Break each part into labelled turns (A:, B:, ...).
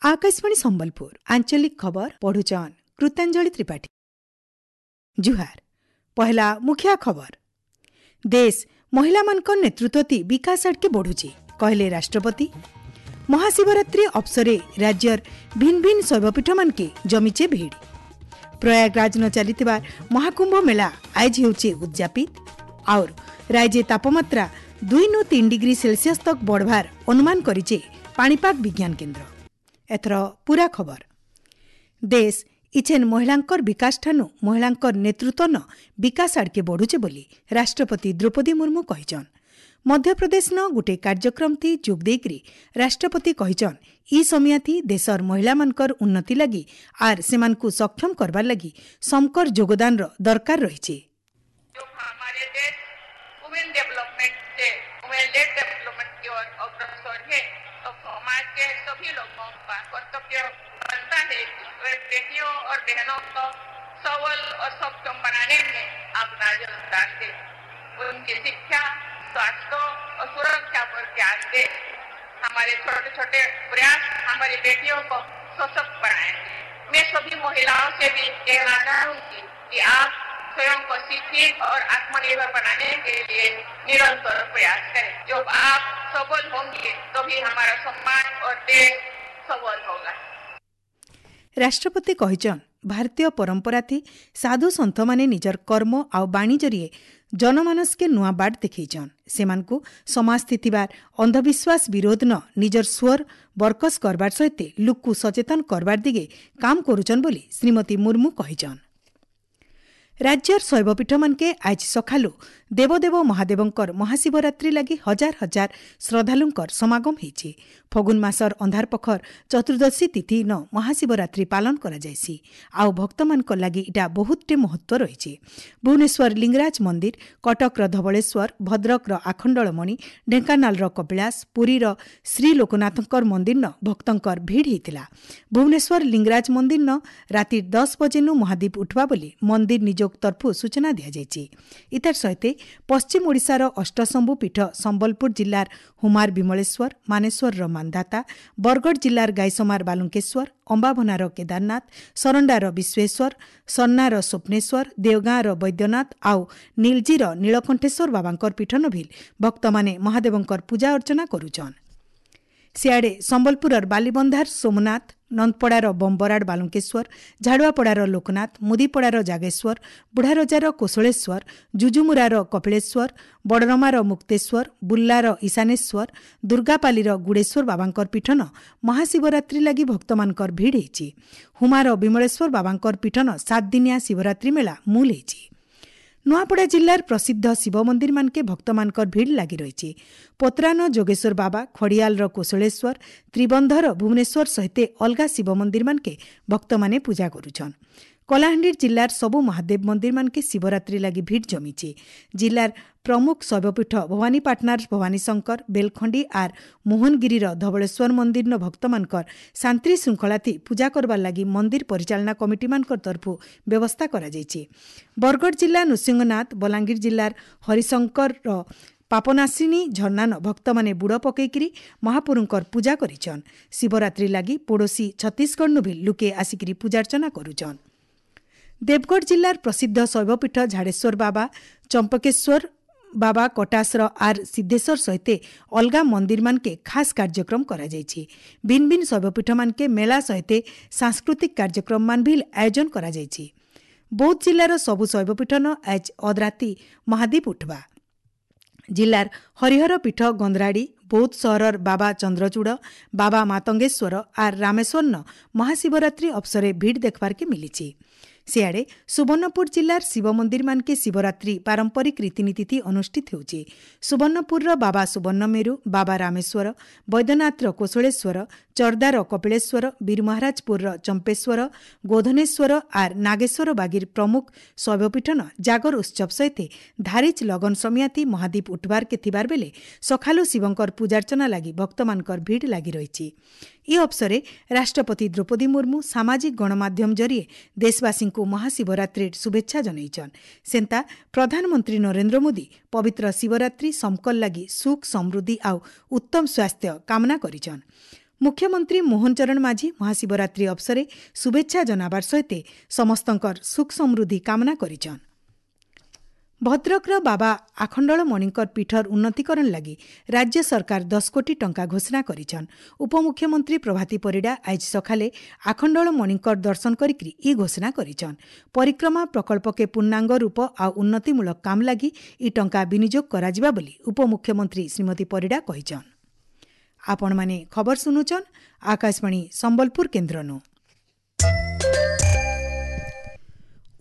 A: ଆକାଶବାଣୀ ସମ୍ବଲପୁର ଆଞ୍ଚଳିକ ଖବର ପଢୁଛନ୍ କୃତାଞ୍ଜଳି ତ୍ରିପାଠୀ। ଜୁହାର। ପହଲା ମୁଖିଆ ଖବର। ଦେଶ ମହିଳାମାନଙ୍କ ନେତୃତ୍ୱ ବିକାଶ ଆଡ଼କେ ବଢ଼ୁଛି, କହିଲେ ରାଷ୍ଟ୍ରପତି। ମହାଶିବରାତ୍ରି ଅବସରେ ରାଜ୍ୟର ଭିନ୍ ଭିନ୍ ଶୈବପୀଠମାନକେ ଜମିଛେ ଭିଡ଼। ପ୍ରୟାଗରାଜନ ଚାଲିଥିବା ମହାକୁମ୍ଭ ମେଳା ଆଇଜ ହେଉଛି ଉଦଯାପିତ। ଆଉର ରାଜ୍ୟ ତାପମାତ୍ରା 2 ନୁ 3 ଡିଗ୍ରୀ ସେଲସିୟସ୍ ତକ୍ ବଢ଼ବାର ଅନୁମାନ କରିଛେ ପାଣିପାଗ ବିଜ୍ଞାନ କେନ୍ଦ୍ର। ଏଥର ପୁରା ଖବର। ଦେଶ ଇଛେନ୍ ମହିଳାଙ୍କର ବିକାଶ ଠାନୁ ମହିଳାଙ୍କର ନେତୃତ୍ୱ ବିକାଶ ଆଡ଼କେ ବଢ଼ୁଛେ ବୋଲି ରାଷ୍ଟ୍ରପତି ଦ୍ରୌପଦୀ ମୁର୍ମୁ କହିଛନ୍। ମଧ୍ୟପ୍ରଦେଶନ ଗୁଟେ କାର୍ଯ୍ୟକ୍ରମଥି ଯୋଗ ଦେଇକରି ରାଷ୍ଟ୍ରପତି କହିଛନ୍, ଇ ସମିଆଥି ଦେଶର ମହିଳାମାନଙ୍କର ଉନ୍ନତି ଲାଗି ଆର୍ ସେମାନଙ୍କୁ ସକ୍ଷମ କରବାର ଲାଗି ସମକର ଯୋଗଦାନର ଦରକାର ରହିଛି।
B: हमारे देश वुमेन डेवलपमेंट से वुमेन लेड डेवलपमेंट की ओर अग्रसर है, तो समाज के सभी लोगों का कर्तव्य बनता है कि वे बेटियों और बहनों को सबल और सक्षम बनाने में अपना योगदान दे, उनकी शिक्षा, स्वास्थ्य और सुरक्षा पर ध्यान दे। हमारे छोटे छोटे प्रयास हमारी बेटियों को सशक्त बनाएंगे। मैं सभी महिलाओं से भी कहना चाहूंगी कि आप स्वयं को शिक्षित और आत्मनिर्भर बनाने के लिए निरंतर प्रयास करें। जब आप सबल होंगे, तभी हमारा समाज और देश सबल होगा।
A: ରାଷ୍ଟ୍ରପତି କହିଛନ୍, ଭାରତୀୟ ପରମ୍ପରାଥି ସାଧୁ ସନ୍ଥମାନେ ନିଜର କର୍ମ ଆଉ ବାଣୀ ଜରିଏ ଜନମାନସକେ ନୂଆ ବାଟ ଦେଖେଇଛନ୍। ସେମାନଙ୍କୁ ସମାଜଥି ଥିବାର ଅନ୍ଧବିଶ୍ୱାସ ବିରୋଧ ନ ନିଜର ସ୍ୱର ବରକସ କରବାର ସହିତ ଲୁକ୍କୁ ସଚେତନ କରବାର ଦିଗେ କାମ କରୁଛନ୍ ବୋଲି ଶ୍ରୀମତୀ ମୁର୍ମୁ କହିଛନ୍। ରାଜ୍ୟର ଶୈବପୀଠମାନକେ ଆଜି ସକାଳୁ ଦେବଦେବ ମହାଦେବଙ୍କର ମହାଶିବରାତ୍ରି ଲାଗି ହଜାର ହଜାର ଶ୍ରଦ୍ଧାଳୁଙ୍କର ସମାଗମ ହୋଇଛି। ଫଗୁନ ମାସର ଅନ୍ଧାର ପଖର ଚତୁର୍ଦ୍ଦଶୀ ତିଥି ନ ମହାଶିବରାତ୍ରି ପାଳନ କରାଯାଇସି, ଆଉ ଭକ୍ତମାନଙ୍କ ଲାଗି ଇଟା ବହୁତଟେ ମହତ୍ତ୍ୱ ରହିଛି। ଭୁବନେଶ୍ୱର ଲିଙ୍ଗରାଜ ମନ୍ଦିର, କଟକର ଧବଳେଶ୍ୱର, ଭଦ୍ରକର ଆଖଣ୍ଡଳମଣି, ଢେଙ୍କାନାଳର କପିଳାସ, ପୁରୀର ଶ୍ରୀଲୋକନାଥଙ୍କର ମନ୍ଦିର ଭକ୍ତଙ୍କର ଭିଡ଼ ହେଇଥିଲା। ଭୁବନେଶ୍ୱର ଲିଙ୍ଗରାଜ ମନ୍ଦିର ରାତି 10 ବଜେନୁ ମହାଦୀପ ଉଠବା ବୋଲି ମନ୍ଦିର ନିଯୋଗ ତରଫୁ ସୂଚନା ଦିଆଯାଇଛି। ଇତାର ସହିତ ପଶ୍ଚିମ ଓଡ଼ିଶାର ଅଷ୍ଟଶମ୍ଭୁ ପୀଠ ସମ୍ବଲପୁର ଜିଲ୍ଲାର ହୁମାର ବିମଳେଶ୍ୱର, ମାନେଶ୍ୱରର ମାନ୍ଧାତା, ବରଗଡ଼ ଜିଲ୍ଲାର ଗାଇସମାର ବାଲୁଙ୍କେଶ୍ୱର, ଅମ୍ବାଭନାର କେଦାରନାଥ, ସରଣ୍ଡାର ବିଶ୍ୱେଶ୍ୱର, ସନ୍ନାର ସ୍ୱପ୍ନେଶ୍ୱର, ଦେଓଗାଁର ବୈଦ୍ୟନାଥ ଆଉ ନୀଲଜିର ନୀଳକଣ୍ଠେଶ୍ୱର ବାବାଙ୍କର ପୀଠ ନଭିଲ ଭକ୍ତମାନେ ମହାଦେବଙ୍କର ପୂଜା ଅର୍ଚ୍ଚନା କରୁଛନ୍। ସିଆଡ଼େ ସମ୍ବଲପୁରର ବାଲିବନ୍ଧାର ସୋମନାଥ, ନନ୍ଦପଡ଼ାର ବମ୍ବରାଡ଼ ବାଲୁଙ୍କେଶ୍ୱର, ଝାଡ଼ୁଆପଡ଼ାର ଲୋକନାଥ, ମୁଦିପଡ଼ାର ଜାଗେଶ୍ୱର, ବୁଢ଼ାରଜାର କୋଶଳେଶ୍ୱର, ଜୁଜୁମୁରାର କପିଳେଶ୍ୱର, ବଡ଼ରମାର ମୁକ୍ତେଶ୍ୱର, ବୁଲ୍ଲାର ଈଶାନେଶ୍ୱର, ଦୁର୍ଗାପାଲିର ଗୁଡ଼େଶ୍ୱର ବାବାଙ୍କର ପୀଠନ ମହାଶିବରାତ୍ରି ଲାଗି ଭକ୍ତମାନଙ୍କର ଭିଡ଼ ହେଇଛି। ହୁମାର ବିମଳେଶ୍ୱର ବାବାଙ୍କର ପୀଠନ 7 ଦିନିଆ ଶିବରାତ୍ରି ମେଳା ମୂଲ ହେଇଛି। ନୂଆପଡ଼ା ଜିଲ୍ଲାର ପ୍ରସିଦ୍ଧ ଶିବ ମନ୍ଦିରମାନକେ ଭକ୍ତମାନଙ୍କର ଭିଡ଼ ଲାଗି ରହିଛି। ପୋତରାନ ଯୋଗେଶ୍ୱର ବାବା, ଖଡ଼ିଆଲର କୋଶଳେଶ୍ୱର, ତ୍ରିବନ୍ଧର ଭୁବନେଶ୍ୱର ସହିତ ଅଲଗା ଶିବ ମନ୍ଦିରମାନକେ ଭକ୍ତମାନେ ପୂଜା କରୁଛନ୍। କଳାହାଣ୍ଡି ଜିଲ୍ଲାର ସବୁ ମହାଦେବ ମନ୍ଦିରମାନକେ ଶିବରାତ୍ରି ଲାଗି ଭିଡ଼ ଜମିଛି। ଜିଲ୍ଲାର ପ୍ରମୁଖ ଶୈବପୀଠ ଭବାନୀପାଟଣାର ଭବାନୀଶଙ୍କର, ବେଲଖଣ୍ଡି ଆର୍ ମୋହନଗିରିର ଧବଳେଶ୍ୱର ମନ୍ଦିରର ଭକ୍ତମାନଙ୍କର ଶାନ୍ତି ଶୃଙ୍ଖଳାଥି ପୂଜା କରବାର ଲାଗି ମନ୍ଦିର ପରିଚାଳନା କମିଟିମାନଙ୍କର ତରଫରୁ ବ୍ୟବସ୍ଥା କରାଯାଇଛି। ବରଗଡ଼ ଜିଲ୍ଲା ନୃସିଂହନାଥ, ବଲାଙ୍ଗୀର ଜିଲ୍ଲାର ହରିଶଙ୍କରର ପାପନାଶିନୀ ଝର୍ଣ୍ଣାନ ଭକ୍ତମାନେ ବୁଡ଼ ପକେଇକିରି ମହାପୁରୁଙ୍କର ପୂଜା କରିଛନ୍। ଶିବରାତ୍ରି ଲାଗି ପଡ଼ୋଶୀ ଛତିଶଗଡ଼ନୁ ବି ଲୁକେ ଆସିକିରି ପୂଜାର୍ଚ୍ଚନା କରୁଛନ୍। ଦେବଗଡ଼ ଜିଲ୍ଲାର ପ୍ରସିଦ୍ଧ ଶୈବପୀଠ ଝାଡ଼େଶ୍ୱର ବାବା, ଚମ୍ପକେଶ୍ୱର ବାବା, କଟାସର ଆର୍ ସିଦ୍ଧେଶ୍ୱର ସହିତ ଅଲଗା ମନ୍ଦିରମାନକେ ଖାସ୍ କାର୍ଯ୍ୟକ୍ରମ କରାଯାଇଛି। ଭିନ୍ ଭିନ୍ ଶୈବପୀଠମାନକେ ମେଳା ସହିତ ସାଂସ୍କୃତିକ କାର୍ଯ୍ୟକ୍ରମମାନ ବି ଆୟୋଜନ କରାଯାଇଛି। ବୌଦ୍ଧ ଜିଲ୍ଲାର ସବୁ ଶୈବପୀଠନ ଆଜ ଅଧରାତି ମହାଦୀପ ଉଠବା। ଜିଲ୍ଲାର ହରିହର ପୀଠ ଗନ୍ଧରାଡ଼ି, ବୌଦ୍ଧ ସହରର ବାବା ଚନ୍ଦ୍ରଚୂଡ଼, ବାବା ମାତଙ୍ଗେଶ୍ୱର ଆର୍ ରାମେଶ୍ୱରନ ମହାଶିବରାତ୍ରି ଅବସରେ ଭିଡ଼ ଦେଖବାର୍କେ ମିଲିଛି। ସିଆଡ଼େ ସୁବର୍ଣ୍ଣପୁର ଜିଲ୍ଲାର ଶିବ ମନ୍ଦିରମାନକେ ଶିବରାତ୍ରି ପାରମ୍ପରିକ ରୀତିନୀତି ଅନୁଷ୍ଠିତ ହେଉଛି। ସୁବର୍ଣ୍ଣପୁରର ବାବା ସୁବର୍ଣ୍ଣମେରୁ, ବାବା ରାମେଶ୍ୱର, ବୈଦ୍ୟନାଥର କୋଶଳେଶ୍ୱର, ଚର୍ଦାର କପିଳେଶ୍ୱର, ବୀରମହାରାଜପୁରର ଚମ୍ପେଶ୍ୱର, ଗୋଧନେଶ୍ୱର ଆର୍ ନାଗେଶ୍ୱର ବାଗିର ପ୍ରମୁଖ ଶୈବପୀଠନ ଜାଗର ଉତ୍ସବ ସହିତ ଧାରିଚ ଲଗନ ସମିଆତି ମହାଦୀପ ଉଠବାର୍କେ ଥିବାର ବେଲେ ସକାଳୁ ଶିବଙ୍କର ପୂଜାର୍ଚ୍ଚନା ଲାଗି ଭକ୍ତମାନଙ୍କର ଭିଡ଼ ଲାଗି ରହିଛି। ଏ ଅବସରେ ରାଷ୍ଟ୍ରପତି ଦ୍ରୌପଦୀ ମୁର୍ମୁ ସାମାଜିକ ଗଣମାଧ୍ୟମ ଜରିଏ ଦେଶବାସୀଙ୍କୁ ମହାଶିବରାତ୍ରିର ଶୁଭେଚ୍ଛା ଜଣାଇଛନ୍। ସେନ୍ତା ପ୍ରଧାନମନ୍ତ୍ରୀ ନରେନ୍ଦ୍ର ମୋଦି ପବିତ୍ର ଶିବରାତ୍ରି ସମକର ଲାଗି ସୁଖ, ସମୃଦ୍ଧି ଆଉ ଉତ୍ତମ ସ୍ୱାସ୍ଥ୍ୟ କାମନା କରିଛନ୍। ମୁଖ୍ୟମନ୍ତ୍ରୀ ମୋହନ ଚରଣ ମାଝୀ ମହାଶିବରାତ୍ରି ଅବସରେ ଶୁଭେଚ୍ଛା ଜନାବାର ସହିତ ସମସ୍ତଙ୍କର ସୁଖ ସମୃଦ୍ଧି କାମନା କରିଛନ୍। ଭଦ୍ରକର ବାବା ଆଖଣ୍ଡଳମଣିଙ୍କର ପୀଠର ଉନ୍ନତିକରଣ ଲାଗି ରାଜ୍ୟ ସରକାର 10 କୋଟି ଟଙ୍କା ଘୋଷଣା କରିଛନ୍। ଉପମୁଖ୍ୟମନ୍ତ୍ରୀ ପ୍ରଭାତୀ ପରିଡ଼ା ଆଜି ସକାଳେ ଆଖଣ୍ଡଳମଣିଙ୍କର ଦର୍ଶନ କରିକି ଇ ଘୋଷଣା କରିଛନ୍। ପରିକ୍ରମା ପ୍ରକଳ୍ପକେ ପୂର୍ଣ୍ଣାଙ୍ଗ ରୂପ ଆଉ ଉନ୍ନତିମୂଳକ କାମ ଲାଗି ଇ ଟଙ୍କା ବିନିଯୋଗ କରାଯିବା ବୋଲି ଉପମୁଖ୍ୟମନ୍ତ୍ରୀ ଶ୍ରୀମତୀ ପରିଡ଼ା କହିଛନ୍। ଆପଣମାନେ ଖବର ଶୁଣୁଛନ୍ ଆକାଶବାଣୀ ସମ୍ବଲପୁର କେନ୍ଦ୍ରନୁ।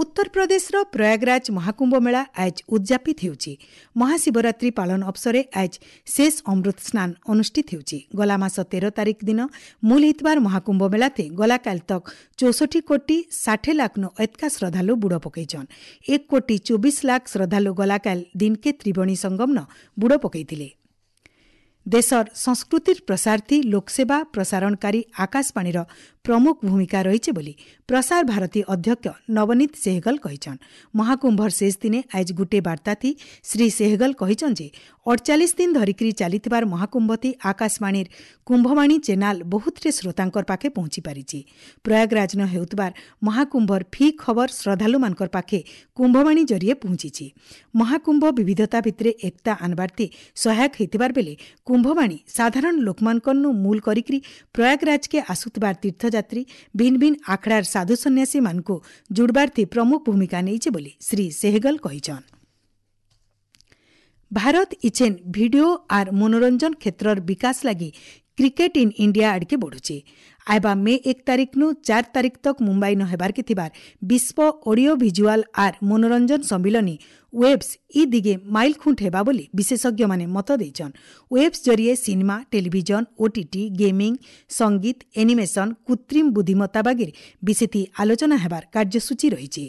A: ଉତ୍ତରପ୍ରଦେଶର ପ୍ରୟାଗରାଜ ମହାକୁମ୍ଭ ମେଳା ଆଜ ଉଦ୍ଯାପିତ ହେଉଛି। ମହାଶିବରାତ୍ରି ପାଳନ ଅବସରେ ଆଜ ଶେଷ ଅମୃତ ସ୍ନାନ ଅନୁଷ୍ଠିତ ହେଉଛି। ଗଲା ମାସ 13 ତାରିଖ ଦିନ ମୂଲ ହେଇଥିବାର ମହାକୁମ୍ଭ ମେଳାତେ ଗଲାକାଲି ତକ୍ 64 କୋଟି 60 ଲାଖନୁ ଏତକା ଶ୍ରଦ୍ଧାଳୁ ବୁଡ଼ ପକାଇଛନ୍। 1 କୋଟି 24 ଲାଖ ଶ୍ରଦ୍ଧାଳୁ ଗଲାକାଲି ଦିନକେ ତ୍ରିବେଣୀ ସଙ୍ଗମନ ବୁଡ଼ ପକାଇଥିଲେ। ଦେଶର ସଂସ୍କୃତିର ପ୍ରସାରଥି ଲୋକସେବା ପ୍ରସାରଣକାରୀ ଆକାଶବାଣୀର ପ୍ରମୁଖ ଭୂମିକା ରହିଛି ବୋଲି ପ୍ରସାର ଭାରତୀ ଅଧ୍ୟକ୍ଷ ନବନୀତ ସେହଗଲ କହିଛନ୍। ମହାକୁମ୍ଭର ଶେଷ ଦିନେ ଆଜ ଗୁଟେ ବାର୍ତ୍ତାଥି ଶ୍ରୀ ସେହଗଲ କହିଛନ୍ ଯେ 48 ଦିନ ଧରିକିରି ଚାଲିଥିବାର ମହାକୁମ୍ଭଥି ଆକାଶବାଣୀର କୁମ୍ଭବାଣୀ ଚେନାଲ ବହୁତଟେ ଶ୍ରୋତାଙ୍କର ପାଖେ ପହଞ୍ଚି ପାରିଛି। ପ୍ରୟାଗରାଜନ ହେଉଥିବାର ମହାକୁମ୍ଭର ଫି ଖବର ଶ୍ରଦ୍ଧାଳୁମାନଙ୍କର ପାଖେ କୁମ୍ଭବାଣୀ ଜରିଏ ପହଞ୍ଚିଛି। ମହାକୁମ୍ଭ ବିବିଧତା ଭିତରେ ଏକତା ଆନବାର୍ଥି ସହାୟକ ହେଇଥିବାର ବେଲେ କୁମ୍ଭବାଣୀ ସାଧାରଣ ଲୋକମାନଙ୍କନୁ ମୂଲ କରିକିରି ପ୍ରୟାଗରାଜକେ ଆସୁଥିବାର ତୀର୍ଥଯାତ୍ରୀ ଭିନ୍ନ ଭିନ୍ନ ଆଖଡ଼ାର ସାଧୁ ସନ୍ନ୍ୟାସୀମାନଙ୍କୁ ଜୁଡ଼ବାର୍ଥି ପ୍ରମୁଖ ଭୂମିକା ନେଇছে ବୋଲି ଶ୍ରୀ ସେହଗଲ କହିଛନ୍। ଭାରତ ଇଛେନ୍ ଭିଡିଓ ଆର୍ ମନୋରଞ୍ଜନ କ୍ଷେତ୍ରର ବିକାଶ ଲାଗି କ୍ରିକେଟ ଇନ୍ ଇଣ୍ଡିଆ ଆଡ଼କେ ବଢ଼ୁଛେ। ଆଇବା ମେ 1 ତାରିଖନୁ 4 ତାରିଖ ତକ୍ ମୁମ୍ବାଇ ନ ହେବାର୍କେ ଥିବାର ବିଶ୍ୱ ଅଡିଓ ଭିଜୁଆଲ ଆର୍ ମନୋରଞ୍ଜନ ସମ୍ମିଳନୀ ୱେବ୍ସ ଇ ଦିଗେ ମାଇଲ ଖୁଣ୍ଟ ହେବା ବୋଲି ବିଶେଷଜ୍ଞମାନେ ମତ ଦେଇଛନ୍। ୱେବ୍ସ ଜରିଏ ସିନେମା, ଟେଲିଭିଜନ, ଓଟିଟି, ଗେମିଂ, ସଙ୍ଗୀତ, ଏନିମେସନ, କୃତ୍ରିମ ବୁଦ୍ଧିମତ୍ତା ବାଗିର ବିଶେଷ ଆଲୋଚନା ହେବାର କାର୍ଯ୍ୟସୂଚୀ ରହିଛି।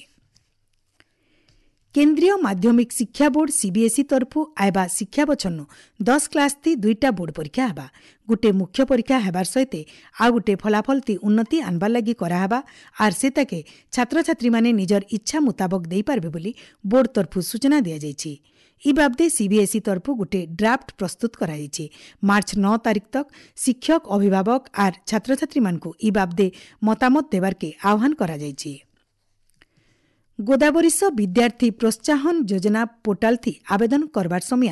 A: କେନ୍ଦ୍ରୀୟ ମାଧ୍ୟମିକ ଶିକ୍ଷା ବୋର୍ଡ ସିବିଏସ୍ଇ ତରଫୁ ଆଇବା ଶିକ୍ଷା ବଛରନୁ 10 କ୍ଲାସ୍ ଥି 2ଟା ବୋର୍ଡ ପରୀକ୍ଷା ହେବା। ଗୋଟେ ମୁଖ୍ୟ ପରୀକ୍ଷା ହେବାର ସହିତ ଆଉ ଗୋଟେ ଫଳାଫଳ ଥି ଉନ୍ନତି ଆନବାର ଲାଗି କରାହେବା ଆର୍ ସେ ତାକେ ଛାତ୍ରଛାତ୍ରୀମାନେ ନିଜର ଇଚ୍ଛା ମୁତାବକ ଦେଇପାରିବେ ବୋଲି ବୋର୍ଡ ତରଫୁ ସୂଚନା ଦିଆଯାଇଛି। ଇ ବାବଦେ ସିବିଏସ୍ଇ ତରଫୁ ଗୋଟେ ଡ୍ରାଫ୍ଟ ପ୍ରସ୍ତୁତ କରାଯାଇଛି। ମାର୍ଚ୍ଚ 9 ତାରିଖ ତକ୍ ଶିକ୍ଷକ, ଅଭିଭାବକ ଆର୍ ଛାତ୍ରଛାତ୍ରୀମାନଙ୍କୁ ଇ ବାବଦେ ମତାମତ ଦେବାର୍କେ ଆହ୍ୱାନ କରାଯାଇଛି। ଗୋଦାବରୀଶ ବିଦ୍ୟାର୍ଥୀ ପ୍ରୋତ୍ସାହନ ଯୋଜନା ପୋର୍ଟାଲଥି ଆବେଦନ କରବାର ସମୟ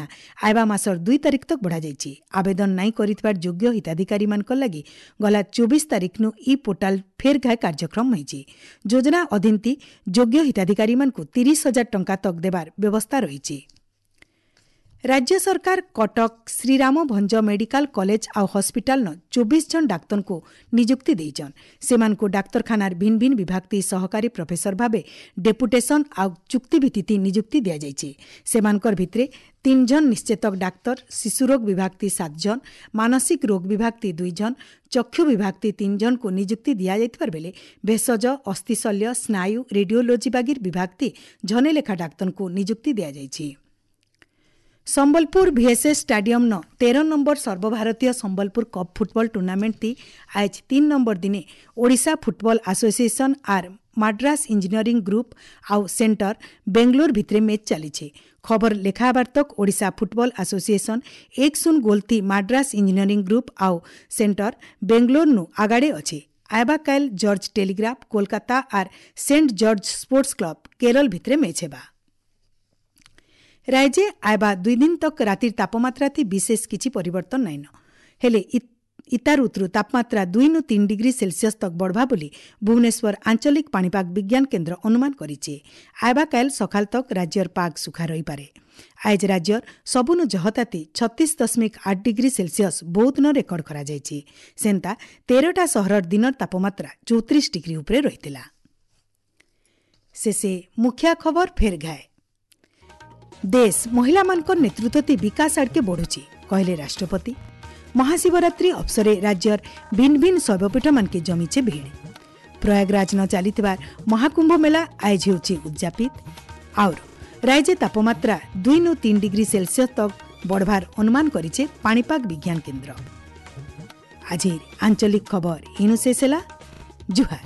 A: ଆଇବା ମାସର 2 ତାରିଖ ତକ୍ ବଢ଼ାଯାଇଛି। ଆବେଦନ ନାଇଁ କରିଥିବାର ଯୋଗ୍ୟ ହିତାଧିକାରୀମାନଙ୍କ ଲାଗି ଗଲା 24 ତାରିଖନୁ ଇ ପୋର୍ଟାଲ ଫେର୍ ଘାଏ କାର୍ଯ୍ୟକ୍ରମ ହୋଇଛି। ଯୋଜନା ଅଧୀନତି ଯୋଗ୍ୟ ହିତାଧିକାରୀମାନଙ୍କୁ 30,000 ଟଙ୍କା ତକ୍ ଦେବାର ବ୍ୟବସ୍ଥା ରହିଛି। ରାଜ୍ୟ ସରକାର କଟକ ଶ୍ରୀରାମ ଭଞ୍ଜ ମେଡିକାଲ କଲେଜ ଆଉ ହସ୍ପିଟାଲନ 24 ଜଣ ଡାକ୍ତରଙ୍କୁ ନିଯୁକ୍ତି ଦେଇଛନ୍। ସେମାନଙ୍କୁ ଡାକ୍ତରଖାନାର ଭିନ୍ନ ଭିନ୍ନ ବିଭାଗତି ସହକାରୀ ପ୍ରଫେସର ଭାବେ ଡେପୁଟେସନ ଆଉ ଚୁକ୍ତିଭିତ୍ତିତି ନିଯୁକ୍ତି ଦିଆଯାଇଛି। ସେମାନଙ୍କର ଭିତରେ 3 ଜଣ ନିଶ୍ଚେତକ ଡାକ୍ତର, ଶିଶୁରୋଗ ବିଭାଗତି 7 ଜଣ, ମାନସିକ ରୋଗ ବିଭାଗତି 2 ଜଣ, ଚକ୍ଷୁ ବିଭାଗତି 3 ଜଣଙ୍କୁ ନିଯୁକ୍ତି ଦିଆଯାଇଥିବାର ବେଲେ ଭେଷଜ, ଅସ୍ଥିଶଲ୍ୟ, ସ୍ନାୟୁ, ରେଡିଓଲୋଜି ବାଗିର ବିଭାଗତି ଜଣେ ଲେଖା ଡାକ୍ତରଙ୍କୁ ନିଯୁକ୍ତି ଦିଆଯାଇଛି। ସମ୍ବଲପୁର ଭିଏସ୍ଏସ୍ ଷ୍ଟାଡିୟମ୍ନ 13 ନମ୍ବର ସର୍ବଭାରତୀୟ ସମ୍ବଲପୁର କପ୍ ଫୁଟବଲ ଟୁର୍ଣ୍ଣାମେଣ୍ଟଟି ଆଜ 3 ନମ୍ବର ଦିନେ ଓଡ଼ିଶା ଫୁଟବଲ ଆସୋସିଏସନ୍ ଆର୍ ମାଡ୍ରାସ ଇଞ୍ଜିନିୟରିଂ ଗ୍ରୁପ୍ ଆଉ ସେଣ୍ଟର ବେଙ୍ଗଲୋର ଭିତରେ ମ୍ୟାଚ୍ ଚାଲିଛି। ଖବର ଲେଖା ହେବାର ତକ୍ ଓଡ଼ିଶା ଫୁଟବଲ ଆସୋସିଏସନ୍ 1-0 ଗୋଲ୍ଥି ମାଡ୍ରାସ ଇଞ୍ଜିନିୟରିଂ ଗ୍ରୁପ୍ ଆଉ ସେଣ୍ଟର ବେଙ୍ଗଲୋରନୁ ଆଗାଡ଼େ ଅଛି। ଆଇବା କାଏଲ୍ ଜର୍ଜ ଟେଲିଗ୍ରାଫ କୋଲକାତା ଆର୍ Saint George sports club Kerala ଭିତରେ ମ୍ୟାଚ୍ ହେବା। ରାଜ୍ୟ ଆଇବା 2 ଦିନ ତକ୍ ରାତିର ତାପମାତ୍ରାଥି ବିଶେଷ କିଛି ପରିବର୍ତ୍ତନ ନାଇଁନ, ହେଲେ ଇତାର ଉତରୁ ତାପମାତ୍ରା 2 ନୁ 3 ଡିଗ୍ରୀ ସେଲସିୟସ୍ ତକ୍ ବଢ଼ବା ବୋଲି ଭୁବନେଶ୍ୱର ଆଞ୍ଚଳିକ ପାଣିପାଗ ବିଜ୍ଞାନ କେନ୍ଦ୍ର ଅନୁମାନ କରିଛି। ଆଇବା କାଏଲ୍ ସକାଳ ତକ୍ ରାଜ୍ୟର ପାଗ ସୁଖା ରହିପାରେ। ଆଜ ରାଜ୍ୟର ସବୁନୁ ଜହତାତି 36.8 ଡିଗ୍ରୀ ସେଲସିୟସ୍ ବୌଦ୍ଧନ ରେକର୍ଡ କରାଯାଇଛି। ସେନ୍ତା 13ଟା ସହରର ଦିନର ତାପମାତ୍ରା 34 ଡିଗ୍ରୀ ଉପରେ ରହିଥିଲା। ଶେଷେ ମୁଖିଆ ଖବର ଫେର ଘାଏ। ଦେଶ ମହିଳାମାନଙ୍କ ନେତୃତ୍ୱ ବିକାଶ ଆଡ଼କେ ବଢ଼ୁଛି, କହିଲେ ରାଷ୍ଟ୍ରପତି। ମହାଶିବରାତ୍ରି ଅବସରେ ରାଜ୍ୟର ଭିନ୍ନ ଭିନ୍ନ ଶୈବପୀଠମାନକେ ଜମିছে ଭିଡ଼। ପ୍ରୟାଗରାଜ ନ ଚାଲିଥିବା ମହାକୁମ୍ଭ ମେଳା ଆୟୋଜ ହେଉଛି ଉଦ୍ଯାପିତ। ଆଉର ରାଜ୍ୟ ତାପମାତ୍ରା 2 ନୁ 3 ଡିଗ୍ରୀ ସେଲସିୟସ୍ ତକ୍ ବଢ଼ବାର ଅନୁମାନ କରିছে ପାଣିପାଗ ବିଜ୍ଞାନ କେନ୍ଦ୍ର। ଆଜି ଆଞ୍ଚଳିକ ଖବର ଇନୁ ଶେଷ ହେଲା। ଜୁହାର।